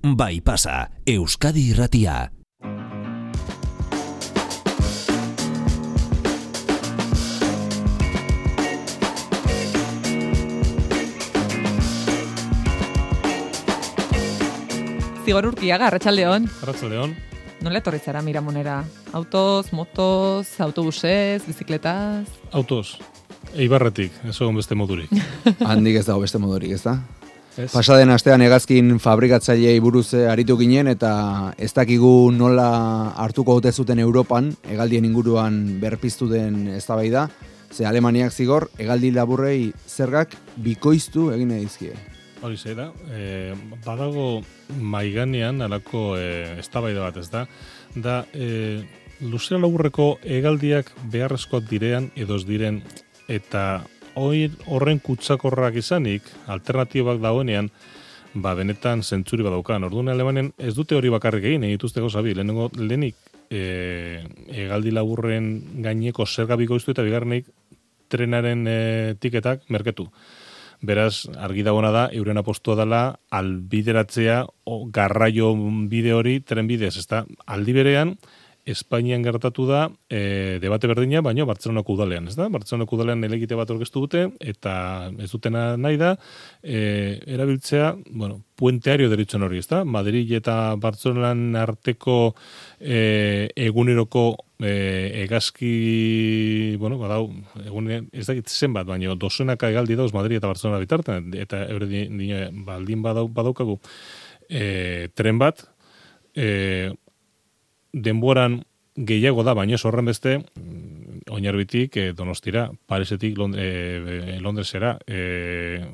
Bai pasa, Euskadi Irratia. Zigor Urkiaga, Arratsaldeon. Arratsaldeon. Nola etorri zara Miramonera? Autoz, motoz, autobusez, bizikletaz? Autoz. Eibarretik, ez egon beste modurik. Handik ez dago beste modurik, ez da? Ez? Pasaden astean hegazkin fabrikatzaileei buruz aritu ginen eta ez dakigu nola hartuko ote zuten Europan hegaldien inguruan berpiztu den eztabaida, ze Alemaniak zigor hegaldi laburrei zergak bikoiztu egin nahi dizkie. Hori ze da, badago maiganean alako eztabaida bat, ez da? Da, luzera laburreko hegaldiak beharrezkoak direan edo ez diren, eta horren kutsakorrak izanik, alternatibak dagoenean, benetan zentzuri badaukan. Orduan Alemanen ez dute hori bakarrik egin dituzte gauza bi. Lehenik hegaldi laburren gaineko zerga bikoiztu eta bigarrenik trenaren tiketak merketu. Beraz, argi dagoena da, euren apostua dela albideratzea garraio bide hori tren bidez. Ezta aldi berean, Espainian gertatu da debate berdina, baina Bartzelonako udalean, ez da? Bartzelonako udalean elegite bat aurkeztu dute, eta ez dutena nahi da, erabiltzea, puenteario deritzen hori, ez da? Madrid eta Bartzelonan arteko eguneroko egazki, badau, ez dakit zenbat, baina dozenaka hegaldi dauz Madrid eta Bartzelona bitartean, eta eure baldin badaukagu tren bat, denboran gehiago da, baina ez horren beste, Oinarbitik Donostira, Parisetik Londresera,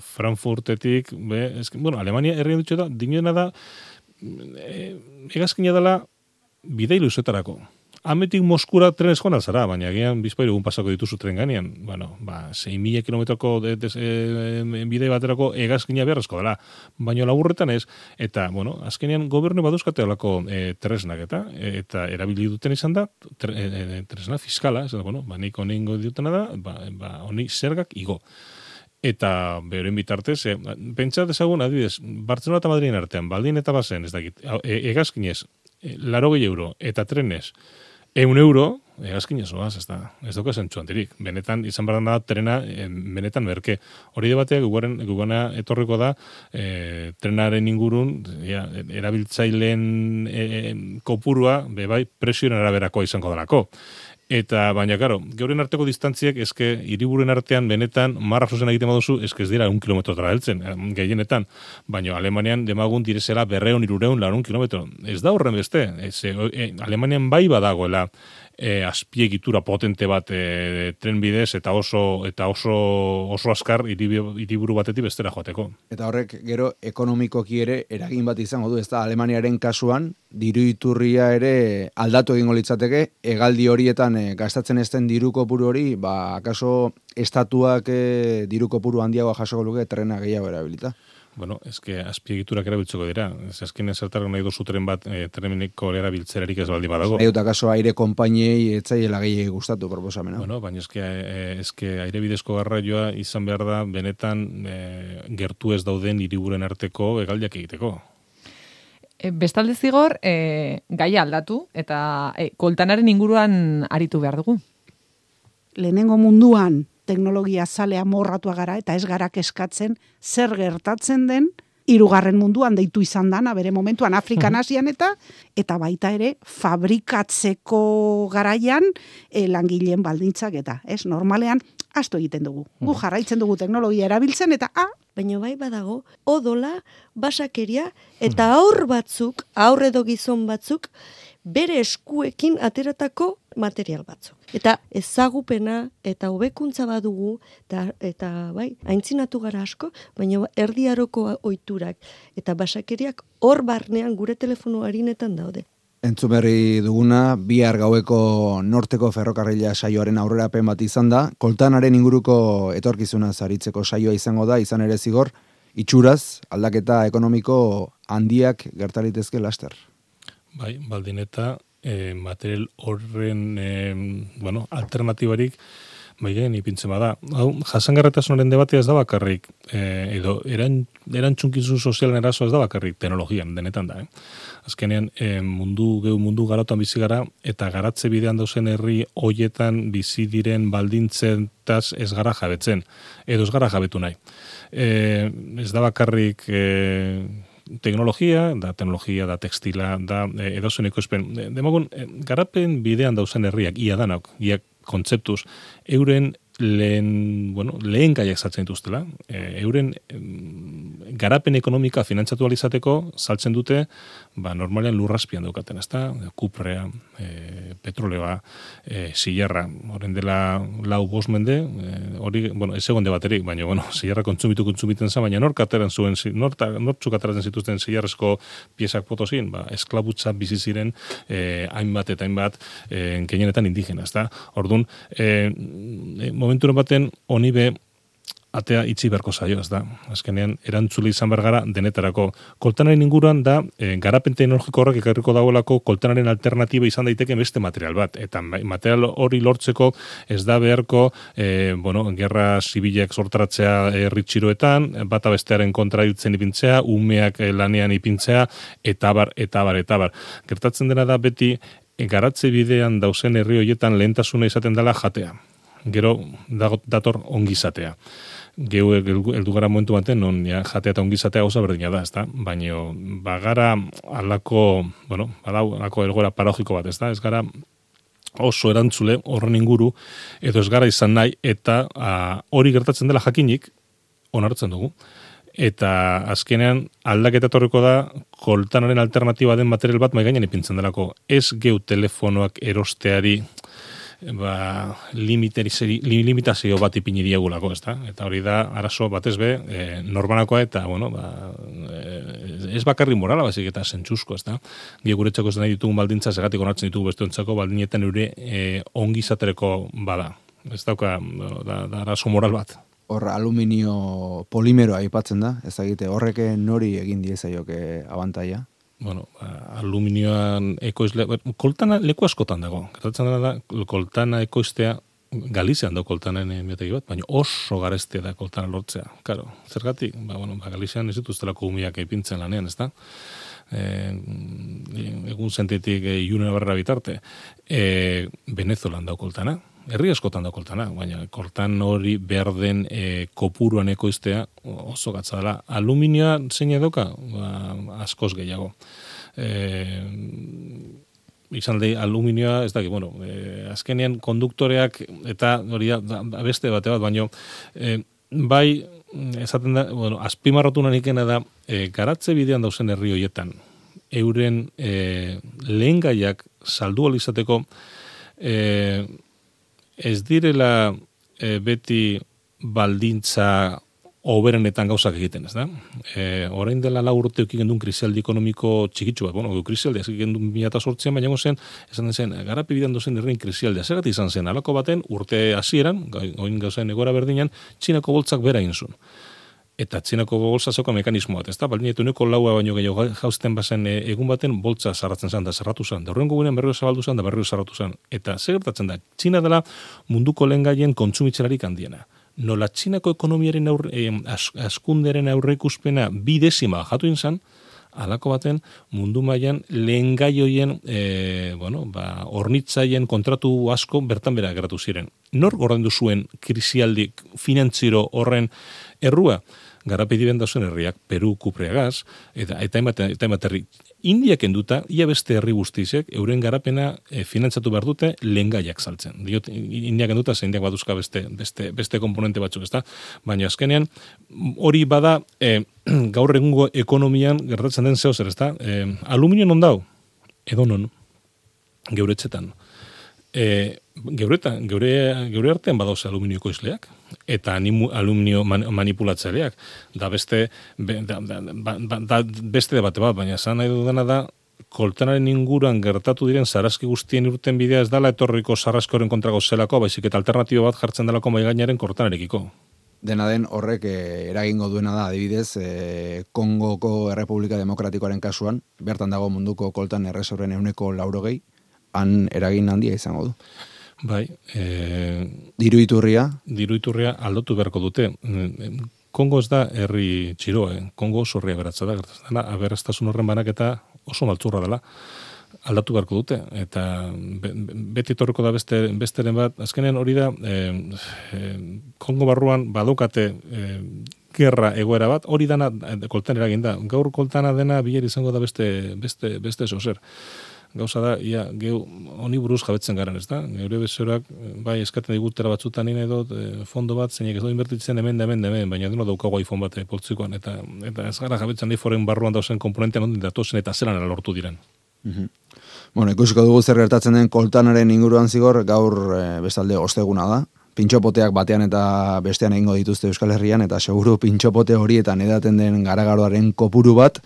Frankfurtetik, Alemania herrian dutxo da, dinoena da, egazkina dela bidei luzetarako. Ametik Moskura tren eskona zara, baina gian bizpairu egun pasako dituzu tren ganean. 6.000 kilometroko bidei baterako egazkina beharrezko dela. Baina laburretan ez, eta, azkenean gobernu baduzkate olako tresnak eta erabili duten izan da, tresna fiskala, nik honen dutena da, honi zergak igo. Eta beren bitartez, pentsat ezagun, adibidez, Bartzelona eta Madriden artean, baldin eta bazen, ez dakit, egazkinez, 80 euro, eta trenez, 100 euro, egazkinez oaz, ez dauka zentzu handirik. Benetan, izan behar da, trena, benetan merke. Hori debateak gugana etorriko da, trenaren ingurun, erabiltzaileen kopurua, presioen araberakoa izango dalako. Eta, baina, karo, geuren arteko distantziek, hiriburuen artean, benetan, marra zuzen egiten baduzu, ez dira 1 kilometrotara heltzen, gehienetan. Baina, Alemanian, demagun direzela 200, 300, 400 kilometro. Ez da horren beste. Alemanian bai badagoela azpiegitura potente bat tren bidez eta oso askar hiriburu batetik bestera joateko. Eta horrek gero ekonomikoki ere eragin bat izango du, ez da Alemaniaren kasuan diru iturria ere aldatu egingo litzateke, hegaldi horietan gastatzen ez den diru kopuru hori, akaso estatuak diru kopuru handiagoa jasoko luke trena gehiago erabilita. Azpiegiturak erabiltzeko dira. Azkenean zertarko nahi duzu tren bat treneko erabiltzerarik ez baldi badago. Nahi dut akaso aire konpainiei etzaiela gehiagi gustatu proposamena. Baina aire bidezko garraioa izan behar da benetan gertu ez dauden hiriburen arteko hegaldiak egiteko. Bestalde zigor, gaia aldatu eta koltanaren inguruan aritu behar dugu. Lehenengo munduan teknologia zalea morratua gara eta ez gara eskatzen zer gertatzen den hirugarren munduan deitu izan dana bere momentuan Afrikan, Asian eta baita ere fabrikatzeko garaian langileen baldintzak eta normalean asto egiten dugu. Gu jarraitzen dugu teknologia erabiltzen eta baina bai badago odola, basakeria eta aur edo gizon batzuk bere eskuekin ateratako material batzuk. Eta ezagupena eta hobekuntza badugu eta bai, aintzinatu gara asko, baina erdiaroko ohiturak eta basakeriak hor barnean gure telefono harinetan daude. Entzumerri duguna, bihar gaueko norteko ferrokarrila saioaren aurrerapen bat izan da, koltanaren inguruko etorkizuna zaritzeko saioa izango da, izan ere zigor, itxuraz, aldaketa ekonomiko handiak gertalitezke laster. Bai, baldin eta material horren alternatibarik maigen ipintzen bada. Hau, jasangarritasunaren debatea ez da bakarrik, edo erantzunkizun sozialen eraso ez da bakarrik teknologian, denetan da. Azkenean, mundu garautan bizi gara, eta garatze bidean dauzen herri hoietan bizi diren baldintzetaz ez gara jabetzen, edo ez gara jabetu nahi. Ez da bakarrik teknologia, da tekstila, da edozen ekoizpen. Demagun, garapen bidean dauzen herriak, ia danak, ia kontzeptuz, euren lehen gaiak saltzen dituztela, euren garapen ekonomika finantzatu alizateko saltzen dute, normalean lurrazpian daukaten, ezta? Kuprea, petroleoa, zilarra, horren dela 4-5 mende, hori, ez egon debaterik, baina, zilarra kontsumiten zen, baina nortzuk ateratzen zituzten zilarrezko piezak potozin, esklabutza bizi ziren hainbat eta hainbat gehienetan indigena, ezta? Orduan, momenturen baten honi be atea itxi beharko zaio, ez da. Azkenean, erantzule izan behar gara denetarako. Koltanaren inguruan da, garapen teknologiko horrek ekarriko dagoelako koltanaren alternatiba izan daiteke beste material bat. Eta material hori lortzeko ez da beharko, gerra zibilak sortaratzea herritxiroetan, bata bestearen kontra hiltzen ipintzea, umeak lanean ipintzea, eta bar. Gertatzen dena da beti, garatze bidean dauzen herri horietan lehentasuna izaten dela jatea. Gero dator ongizatea. Geu heldu gara momentu baten, non jatea eta ongizatea gauza berdina da, ezta? Baina bagara alako elgora paragiko bat, ezta? Ez gara oso erantzule horren inguru, edo ez gara izan nahi, eta hori gertatzen dela jakinik, onartzen dugu. Eta azkenean aldaketa etorriko da koltanaren alternatiba den material bat maigainan ipintzen delako. Ez geu telefonoak erosteari limitazio bat ipini diagulako, ezta? Eta hori da arazo batez be, norbanakoa eta, ez bakarri morala, bazik eta sentsuzko, ezta? Guretzako ez nahi ditugun baldintza, segatik onartzen ditugu besteontzako baldinetan eure ongizatereko bada. Ez dauka, da arazo moral bat. Hor aluminio polimeroa aipatzen da, ez egite horrek nori egin diezaioke abantaia? Aluminioan ekoizle, koltana leku askotan dago. Gertatzen da, koltana ekoiztea, Galizian da koltanen biotegi bat, baina oso garestea da koltana lortzea. Karo, zergatik? Galizian ez dituztelako umiak ipintzen lanean, ez da? Egun zentetik iunen barra bitarte. Venezuelan da koltana. Herri askotan da koltana, baina koltan hori behar den kopuruan ekoiztea oso gatza dela. Aluminioa zein edoka? Askoz gehiago. Izan da aluminioa, ez daki, azkenean konduktoreak eta hori da beste bate bat, baina bai, esaten da, azpimarratu nanikena da, garatze bidean dauzen herri horietan, euren lehengaiak saldu alizateko, ez direla beti baldintza oberenetan gauzak egiten, ez da? Orain dela 4 urte eukin gendun krisialdi ekonomiko txikitsu bat, krisialdi eukin gendun 2008an, baina esan zen, garapi bidan dozen herrein krisialdea. Zergat izan zen, alako baten urte hasieran, oin gauzaen egora berdinan, Txinako boltzak bera inzun. Eta Txinako boltza zeuka mekanismo bat, ez da? Baldin etu laua baino gehiago jauzten bazen egun baten boltza zarratzen zen, da zarratu zen. Da horrengo gurean berrio zabaldu zen, da berrio zarratu zen. Eta zer gertatzen da, Txina dela munduko lehengaien kontsumitzelarik handiena. Nola Txinako ekonomiaren askunderen aurreikuspena 2 jatu inzan, alako baten mundu mailan lehengai hoien hornitzaien kontratu asko bertan bera geratu ziren. Nor gordendu zuen krisialdi finantziro horren errua? Garapedi bendazen herriak, Peru, Kupreagaz, eta hainbat herri. Indiak enduta, ia beste herri guztizek, euren garapena finantzatu behar dute lehengaiak saltzen. Indiak enduta, ze indiak baduzka beste komponente batzuk, ezta? Baina azkenean, hori bada gaur egungo ekonomian gertatzen den zeo zer, ezta? Aluminio non dau? Edo non? Geuretzetan. Geure artean badauz aluminio ekoizleak eta aluminio manipulatzaileak da beste debate bat, baina esan nahi dudana da koltanaren inguruan gertatu diren sarraski guztien urten bidea ez dala etorriko sarraskoren kontrako zelako, baizik eta alternatibo bat jartzen delako maigainaren koltanarekiko. Dena den horrek eragingo duena da, adibidez, Kongoko Errepublika Demokratikoaren kasuan, bertan dago munduko koltan erresorren 80%, han eragin handia izango du. Bai, Diru iturria. aldatu beharko dute. Kongo ez da herri txiroa, Kongo oso herria beratza da, gertatzen dela, aberastasun horren banaketa oso maltzurra dela. Aldatu beharko dute, eta beti torreko da besteren bat, azkenean hori da, Kongo barruan badukate gerra egoera bat, hori dana koltan eragin da. Gaur koltana dena biler izango da beste zozer. Gauza da, geu honi buruz jabetzen garen, ez da? Geure besorak, bai, eskaten digutera batzutan nire dut, fondo bat, zeinek ez dut inbertitzen hemen, baina deno daukago iPhone bat poltzikoan, eta ez gara jabetzen nahi foren barruan dauzen komponentean ondin datozen eta zelan lortu diren. Bueno, ikusiko dugu zer gertatzen den koltanaren inguruan zigor, gaur bestalde osteguna da. Pintxopoteak batean eta bestean egingo dituzte Euskal Herrian, eta seguru pintxopote horietan edaten den garagardoaren kopuru bat,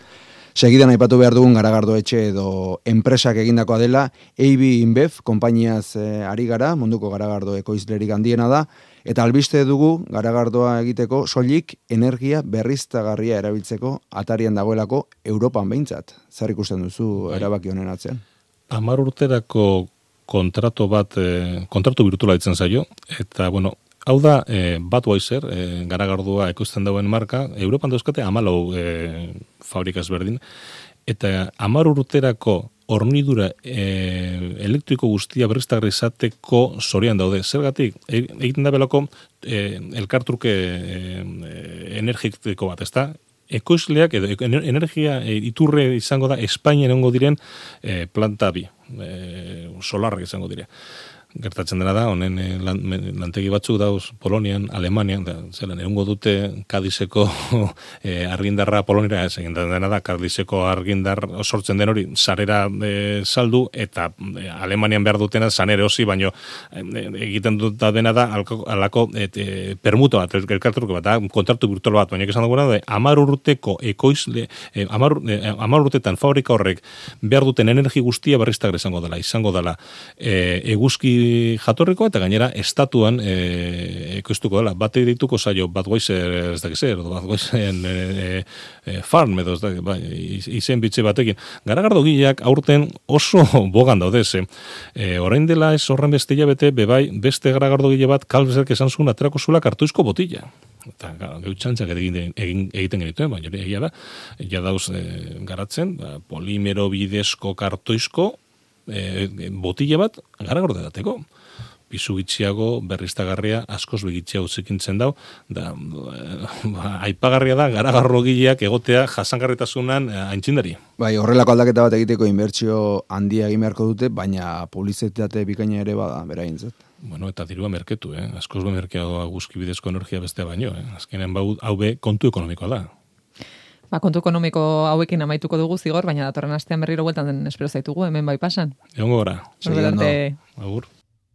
segidan aipatu behar dugun garagardo etxe edo enpresak egindakoa dela, AB InBev, konpainiaz ari gara, munduko garagardo ekoizlerik handiena da, eta albiste dugu garagardoa egiteko soilik energia berriztagarria erabiltzeko atarian dagoelako Europan behintzat. Zer ikusten duzu erabaki honen atzean? 10 urterako kontratu virtuala ditzen zaio, eta, bueno, hau da, Budweiser, garagardua ekoizten dauen marka, Europan dauzkate 14 fabrikaz berdin, eta 10 urterako hornidura elektriko guztia berriztagarri izateko zorian daude. Zergatik, egiten da belako elkartruke energiko bat, ezta? Ekoizleak edo energia iturre izango da Espainian egongo diren planta bi, solarrak izango dira. Gertatzen dena da, honen lantegi batzuk dauz Polonian, Alemanian, zelan, egongo dute Kadizeko argindarra Poloniara, egin dena da, Kadizeko argindar sortzen den hori, sarera saldu, eta Alemanian behar dutena sanere osi, baino egiten dut dena da, alako permuta bat, elkartruke bat, kontratu virtual bat, baina esan duguna da, 10 urteko ekoizle, 10 urtetan fabrika horrek behar duten energi guztia berriztagarri izango dela eguzki jatorriko, eta gainera estatuan ekoiztuko dela. Bate dituko zaio Budweiser ez dakiz zer, Budweiser farm edo ez dakiz, izen bitxe batekin. Garagardo gileak aurten oso bogan daudez. Orain dela ez horren beste hilabete, bebai beste garagardo gile bat kalbezek esan zuen aterako zuela kartuizko botila. Eta geutxantzak egiten genituen, baina egia da, ja dauz garatzen, polimero bidezko kartoizko botila bat garagardo edateko. Pisu gitxiago, berriztagarria, askoz begitxiago zikintzen dau, da, aipagarria da, garagarro gileak egotea jasangarritasunan aintzindari. Bai, horrelako aldaketa bat egiteko inbertsio handia egin beharko dute, baina publizitate bikaina ere bada, beraintzat. Bueno, eta dirua merketu, askoz be merkeago guzki bidezko energia bestea baino, azkenean hau be kontu ekonomikoa da. Kontu ekonomiko hauekin amaituko dugu zigor, baina datorren astean berriro bueltan den espero zaitugu, hemen bai pasan. Egongo gara. Segidan, Agur.